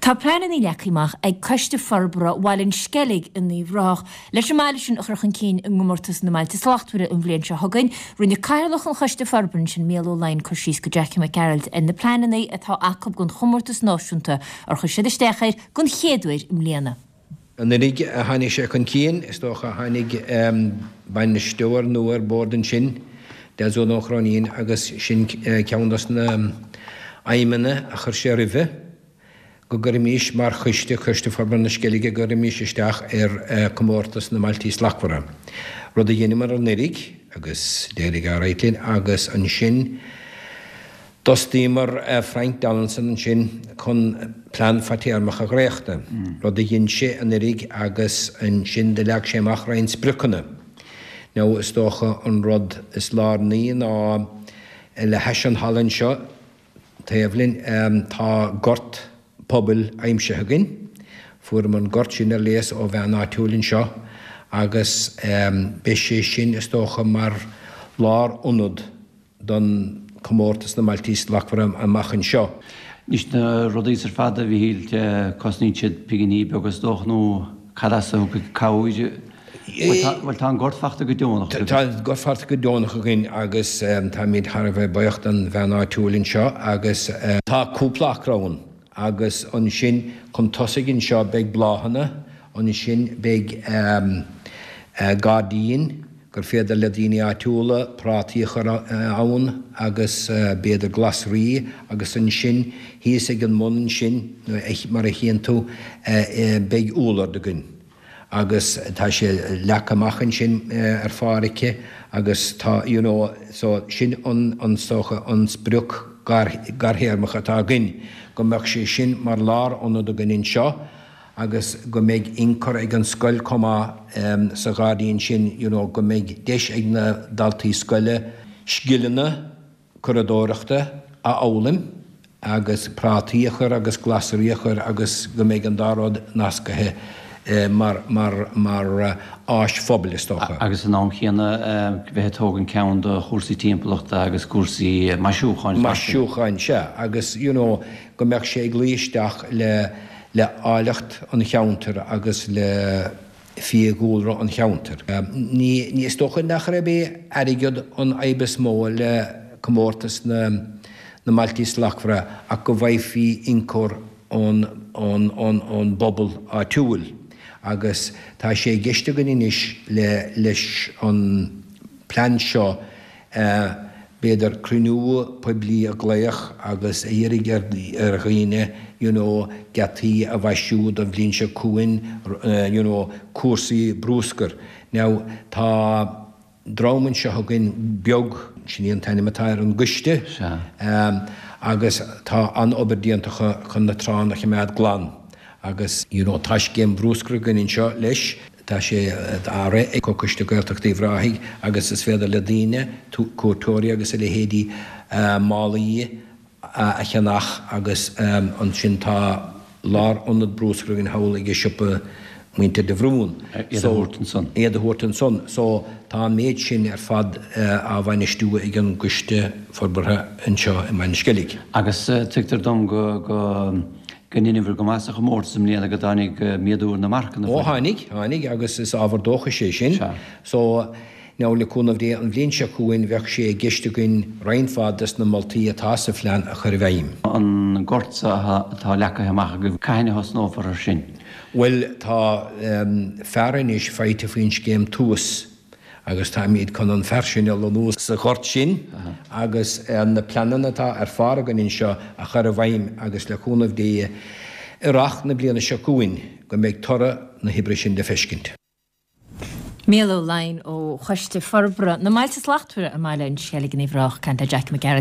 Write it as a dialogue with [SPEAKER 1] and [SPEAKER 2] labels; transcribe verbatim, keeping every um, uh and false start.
[SPEAKER 1] Tá pleananna leagtha amach ag Coiste Forbartha Bhaile an Sceilg in Uíbh Ráthach leis an mbaile sin a chur chun cinn i gcomórtas na mBailte Slachtmhara an bhliain seo chugainn. Rinne Cathaoirleach an Choiste Forbartha ansin, Mícheál Ó Laighin, cur síos go Jackie Mac Gearailt ar na pleananna atá acu don chomórtas náisiúnta ar chuir siad isteach air don chéad uair i mbliana.
[SPEAKER 2] Anuraidh a tháinig sé chun cinn, is dócha, tháinig bainisteoir nua ar bord ansin, Des Ó Cróinín, agus sin ceann dos na aidhmeanna a chuir sé roimhe, go gcuirfimís mar choiste, Coiste Forbartha na Sceilge, go gcuirfimís isteach ar Comórtas na mBailtí Slachtmhara. Rud a dheineamar anuraidh agus d'éirigh alright linn agus ansin d'fhostaíomar Frank Donaldson ansin chun plean fadtéarmach a dhréachtadh, rud a dhein sé anuraidh agus ansin do leag sé amach roinnt spriocanna. Now is dócha an rud is lárnaí ná le hais an halla anseo taobh linn tá gort pobail aimsithe againn. Fuaireamar an gort sin ar léas ó bhean áitiúil anseo agus beidh sé sin, is dócha, mar lárionad don Comórtas na mBailtí Slachtmhara amach anseo.
[SPEAKER 3] Anois na rudaí ar fad, a Mhíchíl, cosnaíonn siad pinginí beaga is dócha nó cad as a thiocfaidh cabhair? Bhuel tá an gort fachta go deonach
[SPEAKER 2] agaibh. Tá an gort fachta go deonach againn agus táimid thar a bheith buíoch don bhean áitiúil anseo agus tá cúpla acra ann. Agus ansin chun tosaigh anseo beidh bláthanna, ansin beidh gairdín gur féidir le daoine áitiúla prátaí a chur ann agus b'fhéidir glasraí agus ansin thíos ag an mbun ansin mar a chíonn tú beidh úllord againn. Agus tá sé leagtha amach ansin ar pháirc agus tá you know so sin an an is dócha an sprioc garthéarmach atá againn go mbeadh sé sin mar lárionad againn anseo agus go mbeidh ionchur ag an scoil chomh maith sa ghairdín sin you know go mbeidh deis ag na daltaí scoile scileanna curadóireachta a fhoghlaim agus prátaí a chur agus glasraí a chur agus go mbeidh an dá rud nascaithe mar, mar, mar áis phobail, is dócha.
[SPEAKER 3] Agus san am chéanna bheith ag tógaint ceann do chúrsaí timpeallachta agus cúrsaí maisiúcháin
[SPEAKER 2] fosta. Maisiúcháin, sea. Agus you know go mbeadh sé ag luí isteach le, le áilleacht an cheantair agus le fiadhúlra an cheantair. Ní, ní, is dócha nach raibh é airgead an fhadhb is mó le comórtas na, na mBailtí Slachtmhara ach go bhfaighfí ionchur ón, ón, ón, ón bpobal áitiúil agus tá sé i gceist againn anois le, leis an plean seo b'fhéidir cruinniú poiblí a ghlaoch agus a iarraidh ar, ar dhaoine you know geataí a mhaisiú don bhliain seo chugainn you know cúrsaí brúscair. Now tá dream anseo againn beag, sin é an t-ainm atá ar an gcoiste, agus tá an-obair déanta acu chun na tránna a choimeád glan agus you know tá scéim bhrúscair againn anseo leis, tá sé á rith ag Comhchoiste Gaeltachta Uíbh Ráthaigh agus is féidir le daoine, cuairteoirí agus a leithéidí, málaí a cheannach agus ansin tá lárionad brúscair againn thall ag siopa muintir de Bhrún.
[SPEAKER 3] Iad a thabhairt ansan.
[SPEAKER 2] Iad a thabhairt ansan. So tá an méid sin ar fad á bhainistiú ag an gCoiste Forbartha anseo i mBaile an Sceilg.
[SPEAKER 3] Agus tuigtear dom go go go ndeineabhair go maith sa chomórtas i mbliana, go dtáinig méadú ar na marcanna.
[SPEAKER 2] Ó tháinig, tháinig agus is ábhar dóchais é sin.
[SPEAKER 3] Sea.
[SPEAKER 2] So Now le cúnamh Dé an bhliain seo chugainn bheadh sé i gceist againn roinnt mhaith des na moltaí atá sa phlean a chur i bhfeidhm.
[SPEAKER 3] An gort atá leagtha amach agaibh, cathain a thosnófar ar sin?
[SPEAKER 2] Bhuel tá fear anois faighte faoin scéim Tús agus táimid chun an fear sin a lonnú sa ghort sin agus na pleananna atá ar phár againn anseo a chur i bhfeidhm agus le cúnamh Dé earrach na bliana seo chugainn go mbeidh toradh na hoibre sin le feiscint.
[SPEAKER 1] Mícheál Ó Laighin ó Choiste Forbartha na mBailte Slachtmhara i mBaile an Sceilg in Uíbh Ráthach, ag caint le Jackie Mac Gearailt.